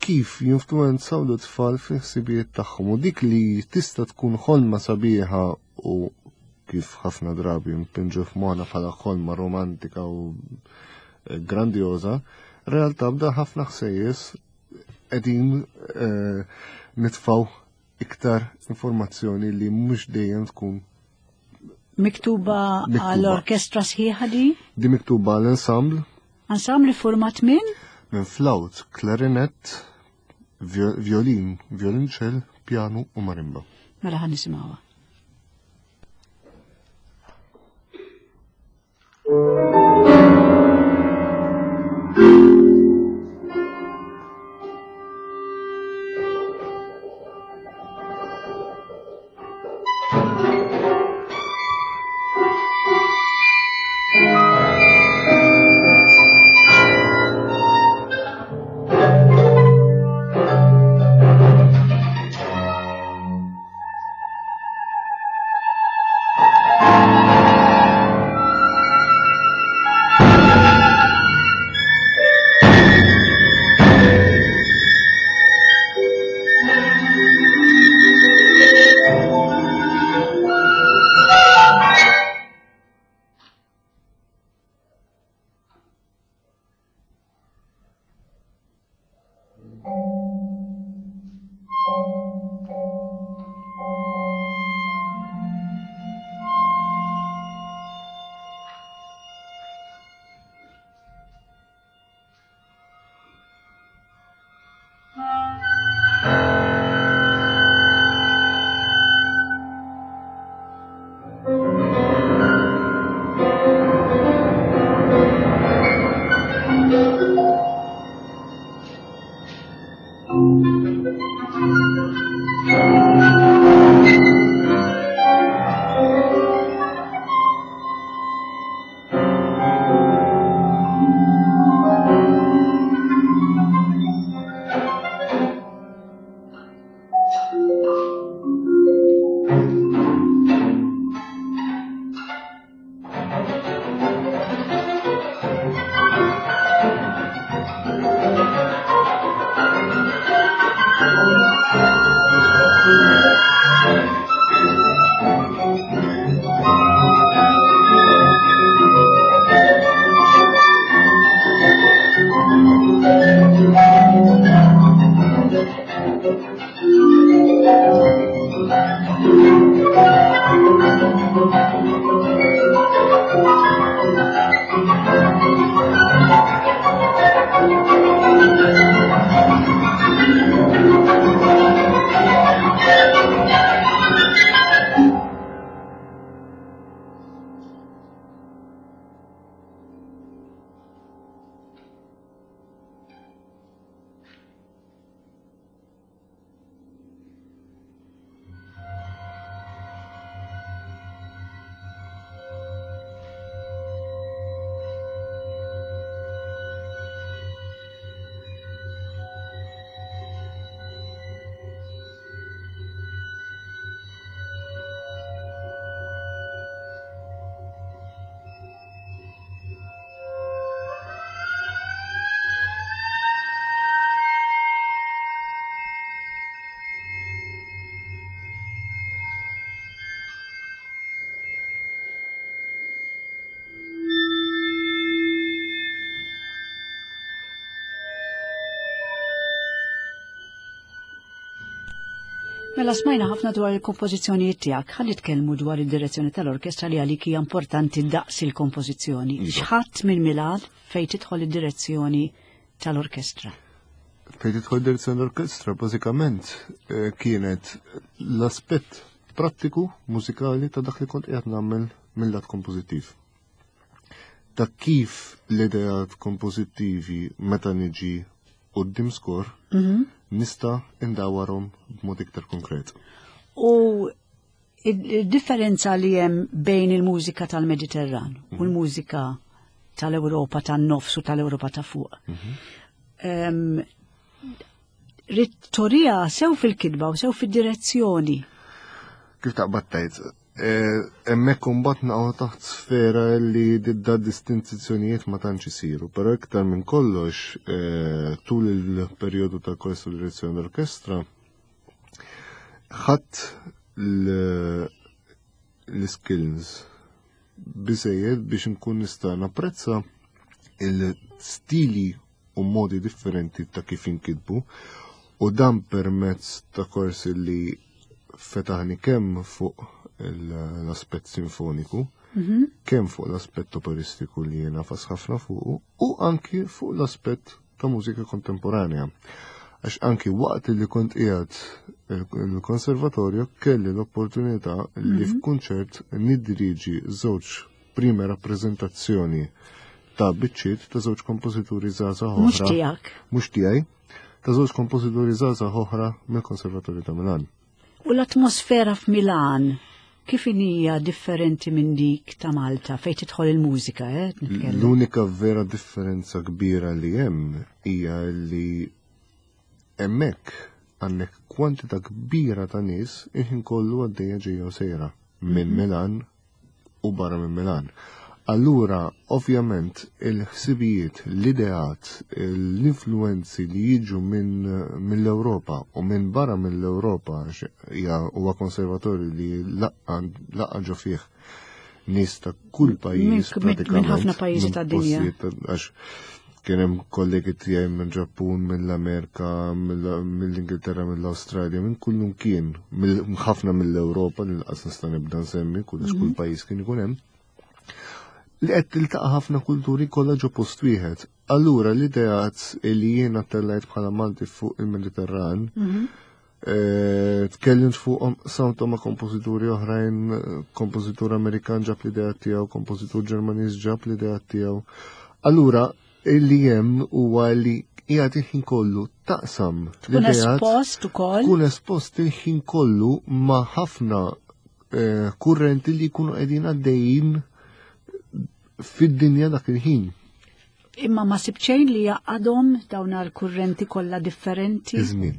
kif jinfluwenzaw l-tfal fil-ħsibijiet tagħhom u dik li tista' tkun ħolma sabiħa u kif ħafna drabi mpinġu f'moħħna bħala ħolma romantika u eh, grandjoża, realtà bda ħafna ħsejjes qegħdin eh, nitfaw iktar informazzjoni li mhux dejjem tkun miktuba għall-orkestra sħiħa di? Di miktuba għall-ensemble. Ensemble format minn? Minn flaut, klarinett, violin, violonċell, piano u marimba. Mela ħan nisimgħuha. Mela smajna ħafna dwar il-kompożizzjonijiet tiegħek, ħalli nitkellmu dwar id-direzzjoni tal-orkestra li għalik hija importanti daqs il-kompożizzjoni. Iva. X'ħadd minn Milan fejn tidħol id-direzzjoni tal-orkestra? Fejn tidħol direzzjoni l-orkestra, bażikament eh, kienet l-aspett prattiku mużikali ta' dak li kont qiegħed nagħmel mill-lat kompożittiv. Ta' kif l-ideat kompożittivi meta niġi quddiem score nista' indawarhom b'mod iktar konkret. U id-differenza li hemm bejn il-mużika tal-Mediterran u l-mużika tal-Ewropa tan-nofs u tal-Ewropa ta' fuq. Em, Ridt turiha sew fil-kitba u sew fid-direzzjoni. Kif taqbad tgħid, eh, hemmhekk imbagħad naqgħu taħt sfera li da distinzjonijiet ma tantx isiru, però iktar minn kollox eh, tul il-perjodu ta' kors u direzzjoni l-orkestra ħadd l- l-skills biżejjed biex nkun nista' napprezza il-stili u modi differenti ta' kif inkitbu u dan permezz ta' korsi li fetaħni kemm fuq l-aspett sinfoniku, kemm fuq l-aspett operistiku li jiena nagħfas ħafna fuq u anki fuq l-aspett ta' mużika kontemporanea. Għax anki waqt li kont qiegħed il-konservatorju kelli l-opportunità li f'kunċert nidiriġi żewġ prime rappreżentazzjoni ta' biċċiet ta' żewġ kompożituri żgħażagħ Mhux oħra. tiegħek. Mhux tiegħi, ta' żewġ kompożituri żgħażagħ oħra mill-Konservatorju ta' Milan. U l-atmosfera f'Milan kif hija differenti minn dik ta' Malta fejn tidħol il-mużika, eh? Nitkellem. L-unika vera differenza kbira li hemm hija li hemmhekk għandek kwantità kbira ta' nies il-ħin kollu għaddejja ġejja u sejra minn Milan u barra minn Milan. Allura, ovvjament, il-ħsibijiet, l-ideat, l-influenzi li jiġu minn mill-Ewropa u minn barra mill-Ewropa, għax hija huwa konservatorju li laqqa laqqa ġo fih nies ta' kull pajjiż Minn- minn pratikament. ħafna pajjiżi minn tad-dinja. postijiet ta'- Għax kien hemm kollegi tiegħi minn Ġappun, mill-Amerika, mill- mill-Ingilterra, mill-Awstralja, minn kullum kien, mill- ħafna mill-Ewropa, li lanqas nista' nibda nsemmi, kull kull pajjiż kien ikun hemm. Li qed tiltaqa' ħafna kulturi kollha ġo post wieħed. Allura l-ideat li jiena tellajt bħala Malti fuq il-Mediterran, eh, tkellimt fuqhom samtom ma' kompożituri oħrajn, eh, kompożitur Amerikan ġab l-idea tiegħu, kompożitur Ġermaniż ġab l-idea tiegħu. Allura illi hemm huwa li qiegħed il-ħin kollu taqsam Tkun l-ideat espost ukoll. tkun espost il-ħin kollu ma' ħafna eh, kurrenti li jkunu qegħdin għaddejjin fid-dinja dak il-ħin. Imma ma sibt xejn li jgħaqqadhom dawn l-kurrenti kollha differenti. Iż-żmien.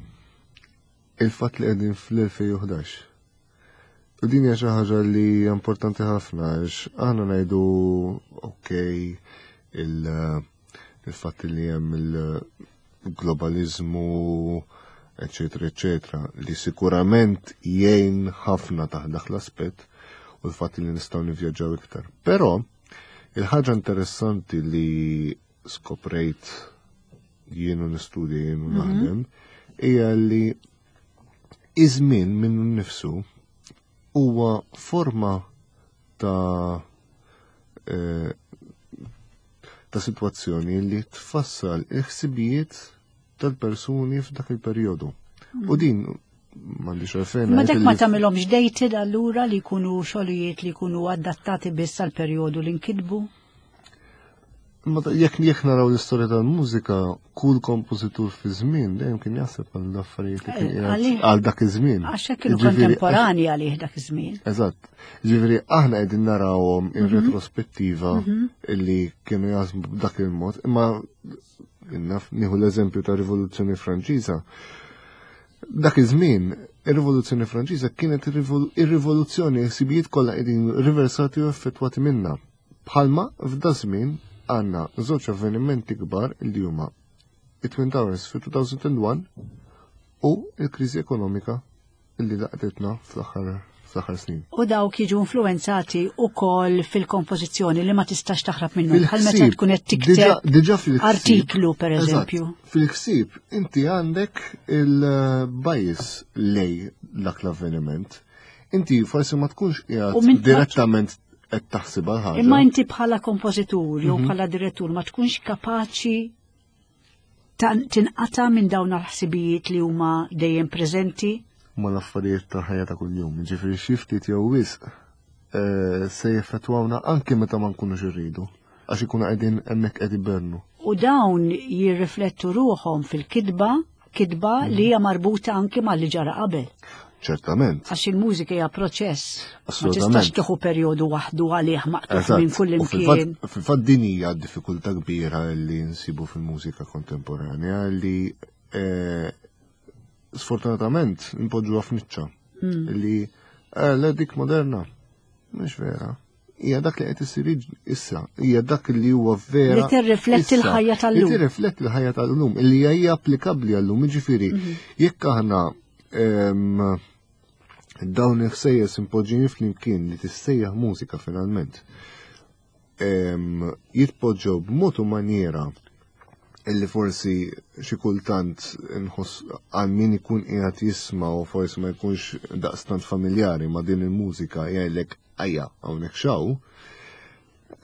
Il-fatt li qegħdin fl-elfejn u ħdax. U din hija xi ħaġa li hija importanti ħafna għax aħna ngħidu okej il- il-fatt li hemm il-globalizmu eccetera eccetera li sikurament jgħin ħafna taħt dak l-aspett u l-fatt li nistgħu nivvjaġġaw iktar. Però il-ħaġa interessanti li skoprejt jien u nistudja, jien u naħdem, hija li iż-żmien minnu nnifsu huwa forma ta' eh, ta' situazzjoni li tfassal il-ħsibijiet tal-persuni f'dak il-perjodu. U din m'għandix għalfejn Ma ngħid dak ma li tagħmilhomx dated allura li jkunu xogħlijiet li jkunu adattati biss għal perjodu li nkitbu? Ma ta- jekk jekk naraw l-istorja tal-mużika, kull kompożitur fi żmien dejjem kien jaħseb għal affarijiet li kien Eh, qiegħed għalih- għal dak iż-żmien. Għax hekk kienu Jiġifieri, kontemporani għalih dak iż-żmien. Eżatt. Ġifieri aħna qegħdin narawhom in retrospettiva illi kienu jaħsbu b'dak il-mod, imma naf nieħu l-eżempju ta' Rivoluzzjoni Franċiża. Dak iż-żmien, ir-Rivoluzzjoni Franċiża kienet ir-rivol- ir-rivoluzzjoni ħsibijiet kollha qegħdin riversati u effettwati minnha. Bħalma f'da żmien għandna żewġ avvenimenti kbar li huma it-Twin Towers fi elfejn u wieħed u l-kriżi ekonomika illi laqtetna fl-aħħar fl-aħħar snin. U dawk jiġu influenzati wkoll fil-kompożizzjoni li ma tistax taħrab minnhom bħal meta tkun qed tikteb artiklu pereżempju. Fil-ħsieb inti għandek il-bias lej dak l-avveniment. Inti forsi ma tkunx qiegħed direttament qed taħsibha l-ħaġa. Imma inti bħala kompożitur jew bħala direttur ma tkunx kapaċi tinqata' minn dawn l-ħsibijiet li huma dejjem preżenti? Ma l-affarijiet ta' ħajja ta' kuljum, ġifieri xi ftit jew wisq se jeffettwawna anke meta ma nkunux irridu, għax ikunu qegħdin hemmhekk qed ibernu. U dawn jirriflettu ruħhom fil-kitba, kitba li hija marbuta anke mal-li ġara qabel. Ċertament. Għax il-mużika hija proċess. Ma tistax tieħu perjodu waħdu għalih maqtugħ minn kull imkien. Fil-fatt din hija diffikultà kbira li nsibu fil-mużika kontemporanja li sfortunatament npoġġuha f'niċċa. Li le dik moderna mhux vera. Hija dak li qed isir issa, hija dak li huwa vera. Li tirrifletti l-ħajja tal-lum. Li tirrifletti l-ħajja tal-lum, li hija applikabbli għall-lum, jiġifieri jekk aħna dawn il-ħsejjes impoġġin flimkien li tissejjaħ mużika finalment jitpoġġew b'mod u maniera illi forsi xi kultant nħoss għal min ikun qiegħed jisma' u forsi ma jkunx daqstant familjari ma' din il-mużika jgħidlek ajja hawnhekk xaw.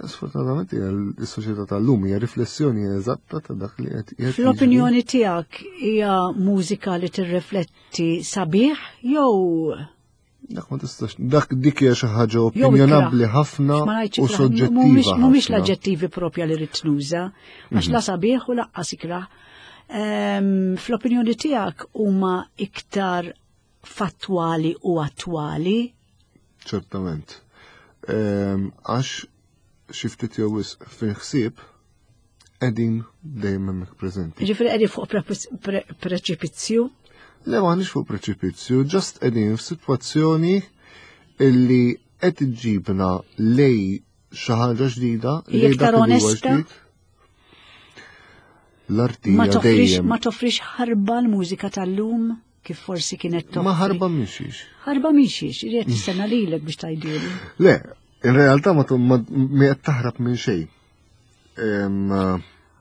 Sfortunatament is-soċjetà tal-lum hija riflessjoni eżatta ta' dak li qed. Fl-opinjoni tiegħek hija mużika li tirrifletti sabiħ jew dak ma tistax, dak dik hija xi ħaġa opinjonabbli ħafna u soġġettiva. Mhumiex l-aġġettivi propja li rrid nuża, għax la sabiħ u laqqas ikrah. Fl-opinjoni tiegħek huma iktar fattwali u attwali? Ċertament. Għax xi ftit jew wisq fil-ħsieb qegħdin dejjem hemmhekk preżenti. Ġifieri qegħdin fuq preċipizzju? Le m'aħniex fuq preċipizzju, ġast qegħdin f'sitwazzjoni illi qed iġġibna lej xi ħaġa ġdida, lej dak li huwa ġdid. L-arti dejjem. Ma toffrix ħarba l-mużika tal-lum kif forsi kienet toffri. Ma ħarba mhixiex. Ħarba mhixiex, irid tistenna lilek biex tgħidili. Le, in realtà ma qed taħrab minn xejn.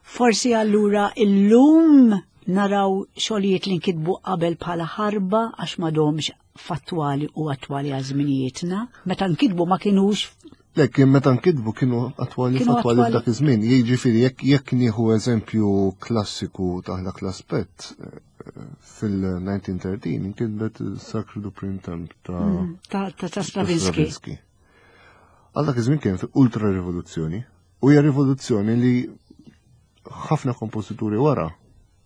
Forsi allura illum naraw xogħlijiet li nkitbu qabel bħala ħarba għax m'għadhomx fattwali u attwali għal żminijietna. Meta nkitbu ma kinux. Le, kien meta nkitbu kienu attwali fattwali f'dak iż-żmien. Jiġifieri jekk jekk nieħu eżempju klassiku ta' dak l-aspett, fil-nineteen thirteen inkitbet Sacre du Printemps ta' ta' Stravinsky. Għal dak iż-żmien kien ultra rivoluzzjoni, u hija rivoluzzjoni li ħafna kompożituri wara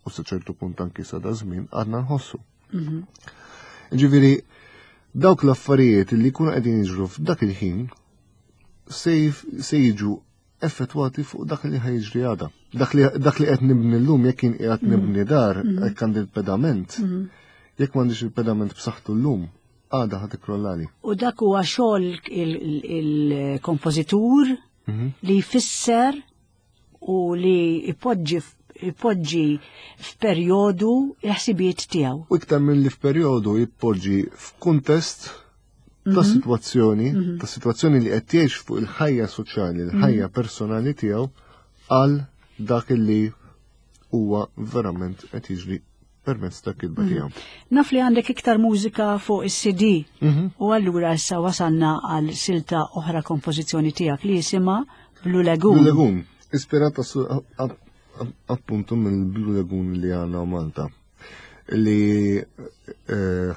u sa ċertu punt anki sa da żmien għadna nħossu. Ġifieri dawk l-affarijiet li jkunu qegħdin jiġru f'dak il-ħin se jiġu effettwati fuq dak li ħajġri għada. Dak li qed nibni llum jekk jien qiegħed nibni dar, jekk għandi l-pedament, jekk m'għandix il-pedament b'saħħtu llum, għada ħad ikrollali. U dak huwa xogħol il-kompożitur li jfisser u li jpoġġi jpoġġi f'perjodu l-ħsibijiet tiegħu. U iktar minn li f'perjodu jpoġġi f'kuntest ta' sitwazzjoni, ta' sitwazzjoni li qed jgħix fuq il-ħajja soċjali, il-ħajja personali tiegħu għal dak li huwa verament qed jiġri permezz ta' kitba tiegħu. Naf li għandek iktar mużika fuq is-C D u allura issa wasalna għal silta oħra kompożizzjoni tiegħek li jisimha Blue Lagoon. Blue Lagoon, ispirata appuntu mill-Blue Lagoon li għandna Malta, li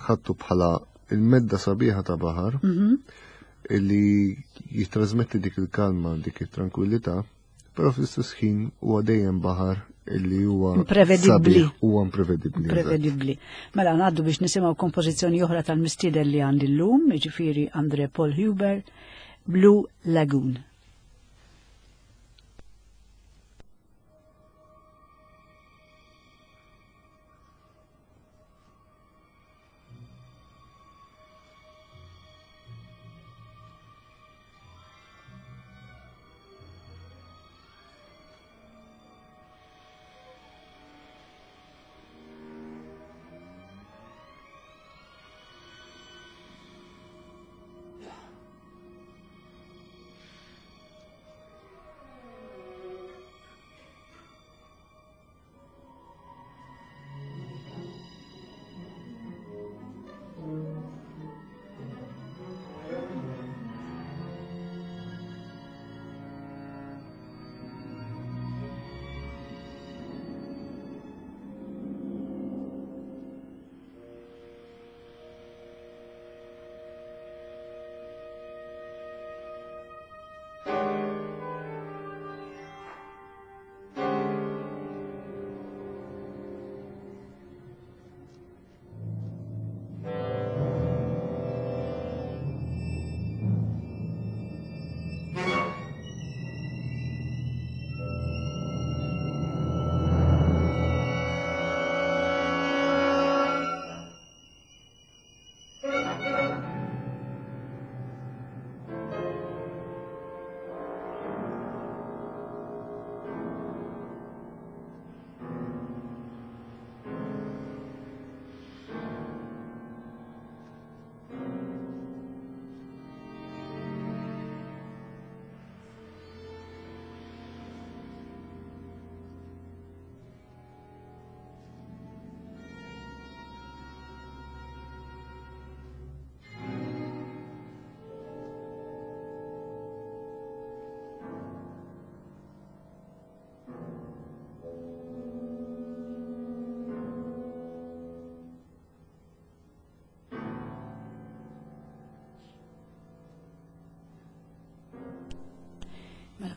ħadtu bħala il-medda sabiħa ta' baħar li jitrasmetti dik il-kalma, dik it-tranquillità, però fl-istess ħin huwa dejjem baħar illi huwa imprevedibbli. Huwa imprevedibbli. Imprevedibbli. Mela ngħaddu biex nisimgħu kompożizzjoni oħra tal-mistieden li għandi llum, jiġifieri Andre Paul Huber, Blue Lagoon.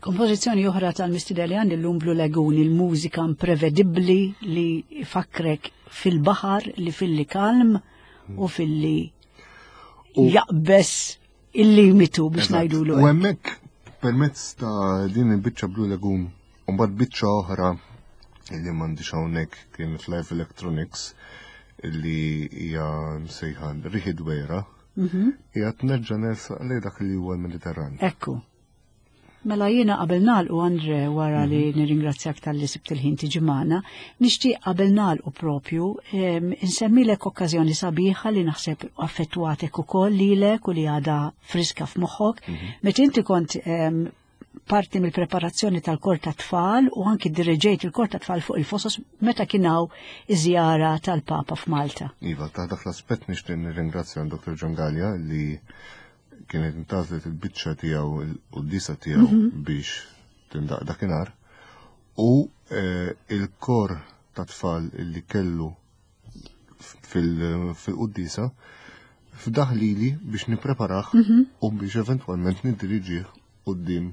Kompożizzjoni oħra tal-mistieden li għandi llum Blue Lagoon, il-mużika imprevedibbli li fakrek fil-baħar, li filli kalm u filli jaqbes il-limitu biex ngħidulu. U hemmhekk permezz ta' din il-biċċa Blue Lagoon u mbagħad biċċa oħra li m'għandix hawnhekk kien Live Electronics li hija msejħa Riħi Dwejra, hija tnerġa' nersaq lejn dak li huwa l-Mediterran. Ekku. Mela jiena qabel nagħlqu, Andre, wara li nirringrazzjak talli sibt il-ħin tiġi magħna, nixtieq qabel nagħlqu propju insemmilek okkażjoni sabiħa li naħseb affettwatek ukoll lilek u li għadha friska f'moħħok. Meta inti kont parti mill-preparazzjoni tal-kor ta' tfal u anki diriġejt il-kor ta' tfal fuq il-Fosos meta kien hawn iż-żjara tal-Papa f'Malta. Iva, ta' dak l-aspett nixtieq nirringrazzja Doktor John Gallia li kienet intgħażlet il-biċċa tiegħu il-quddiesa tiegħu biex tindaq dakinhar u il-kor ta' tfal li kellu fil-quddiesa fdaħ lili biex nippreparah u biex eventwalment niddiriġih quddiem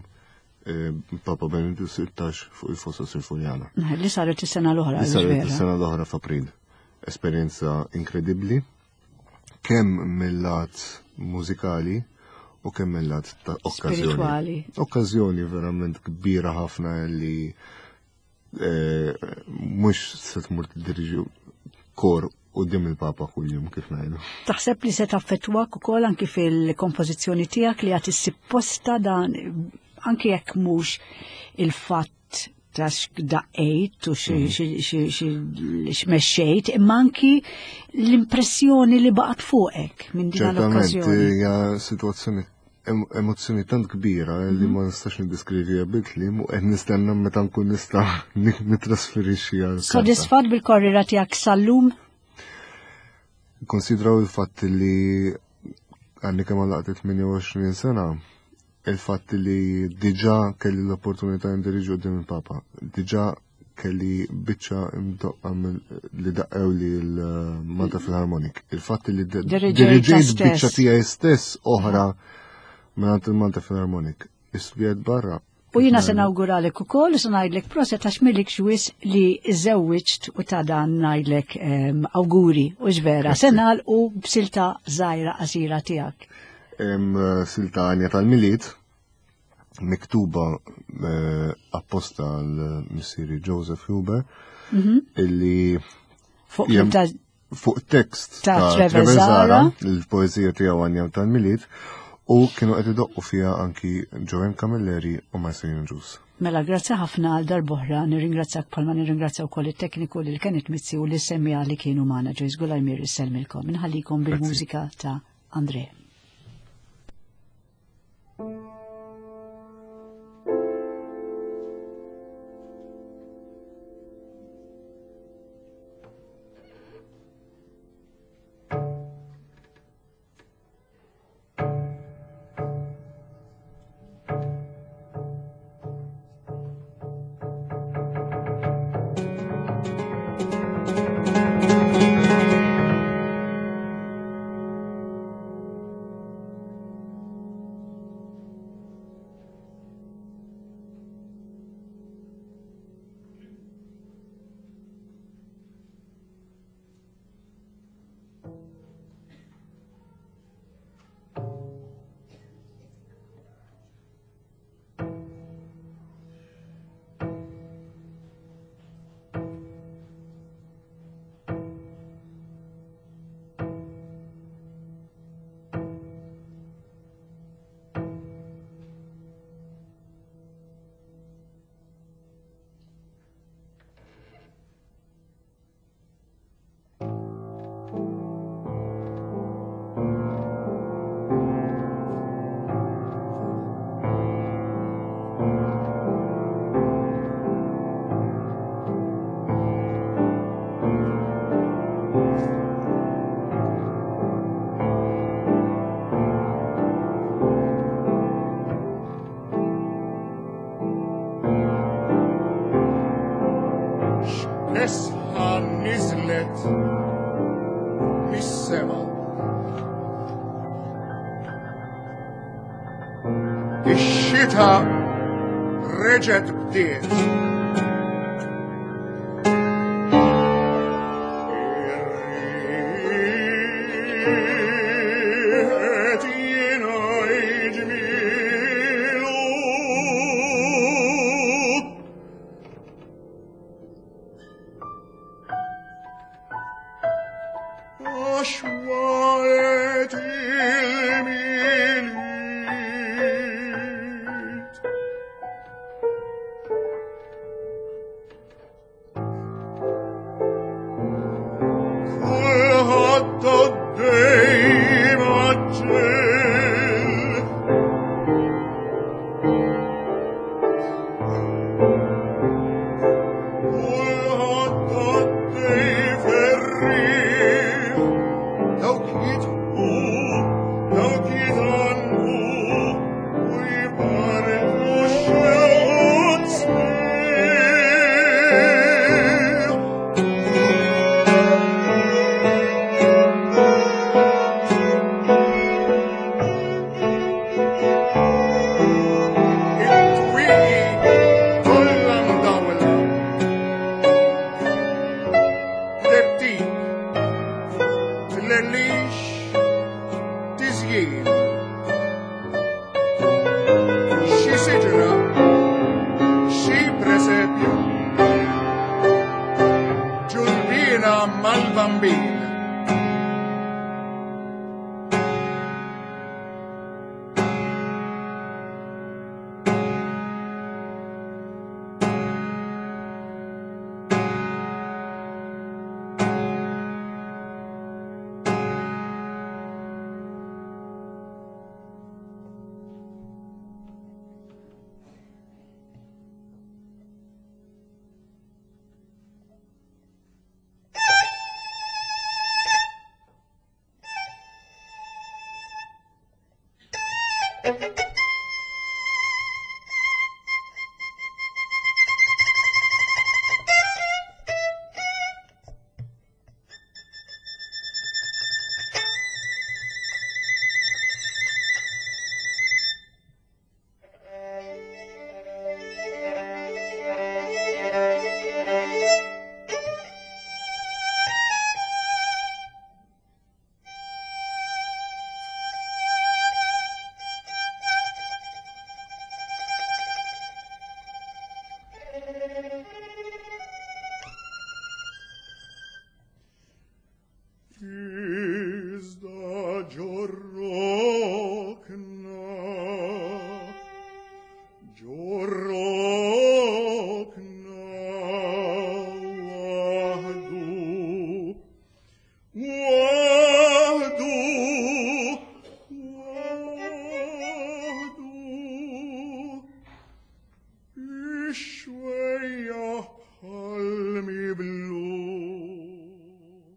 Papa Benedittu sittax fuq il-Fosos il-Furjana. Li saret is-sena l-oħra. Li saret is-sena l-oħra f'April. Esperjenza inkredibbli, kemm mill-lat mużikali u kemm mill-lat ta' okkażjoni. Okkażjoni verament kbira ħafna li mhux se tmur tiddiriġi kor quddiem il-Papa kuljum kif ngħidu. Taħseb li se taffettwak ukoll anki fil-kompożizzjoni tiegħek li qed issib posta dan anki jekk mhux il-fatt ta' x'daqqejt u x'mexxejt, imma anki l-impressjoni li baqgħet fuqek minn din l-okkażjoni. Ċertament hija sitwazzjoni emozzjoni tant kbira li ma nistax niddeskriviha bil-kliem u qed nistenna meta nkun nista' nittrasferixxi għal. Sodisfatt bil-korriera tiegħek sal-lum? Konsidraw il-fatt li għandi kemm għalaqt tmienja u għoxrin sena, il-fatt li diġà kelli l-opportunità ndiriġi quddiem il-Papa, diġà kelli biċċa imdoqqa li daqqew li l-Malta Philharmonic, il-fatt li diriġejt biċċa tiegħi stess oħra mingħand il-Malta Philharmonic, istudjajt barra. U jiena se nawguralek ukoll, se ngħidlek proset għax milik xwis li żewwiġt u ta' dan ngħidlek awguri u x'vera. Se nagħlqu b'silta żgħira qasira tiegħek. Silta għanja tal-Milied, miktuba apposta għal missieri Joseph Huber, illi fuq tekst ta' Trevor Zara, il-poezija tiegħu għanja tal-Milied, u kienu qed idoqqu fiha anki Joanne Camilleri u Marcelino Ġus. Mela, grazzi ħafna għal darb'oħra, nirringrazzjak bħalma nirringrazzja wkoll it-tekniku lil Kenneth Mizzi u li semmija li kienu magħna. Joyce Gulajmir isselmilkom. Inħallikom bil-mużika ta' Andre. Mis-sema. Ix-xita Reġgħet bdiet. Ir-riħ jingħid ġmielu. Għax walet il-Milied. Kulħadd għaddej maġġel. Kulħadd għaddej ferrieħ. Dawk jidħku, dawk jitgħannqu, u jbarku x-xewqat sbieħ. It-twieqi kollha mdawla. Tebtib, tlellix, tiżjin. Xi siġra, xi presepju, ġulbina mal-bambin. Thank you.